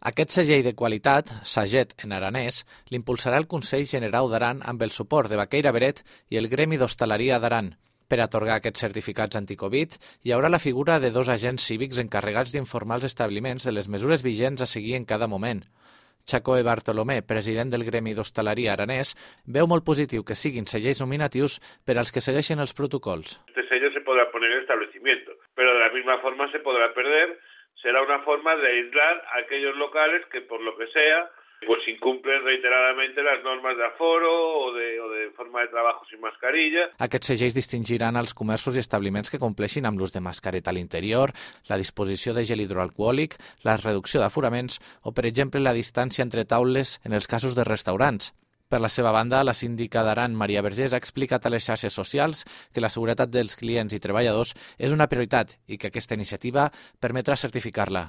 Aquest segell de qualitat, Saget en aranès, l'impulsarà el Consell Generau d'Aran amb el suport de Baqueira Beret i el Gremi d'Hostaleria d'Aran. Per atorgar aquests certificats anticovid, hi haurà la figura de 2 agents cívics encarregats d'informar els establiments de les mesures vigents a seguir en cada moment. Chacoe Bartolomé, president del Gremi d'Hostaleria aranès, veu molt positiu que siguin segells nominatius per als que segueixen els protocols. Este sello se podrá poner en el establecimiento, pero de la misma forma se podrá perder. Será una forma de aislar a aquellos locales que, por lo que sea, pues incumplen reiteradamente las normas de aforo o de forma de trabajo sin mascarilla. Aquests segells distingiran els comerços i establiments que compleixin amb l'ús de mascareta a l'interior, la disposició de gel hidroalcohòlic, la reducció d'aforaments o, per exemple, la distància entre taules en els casos de restaurants. Per la seva banda, la síndica d'Aran, Maria Vergés, ha explicat a les xarxes socials que la seguretat dels clients i treballadors és una prioritat i que aquesta iniciativa permetrà certificar-la.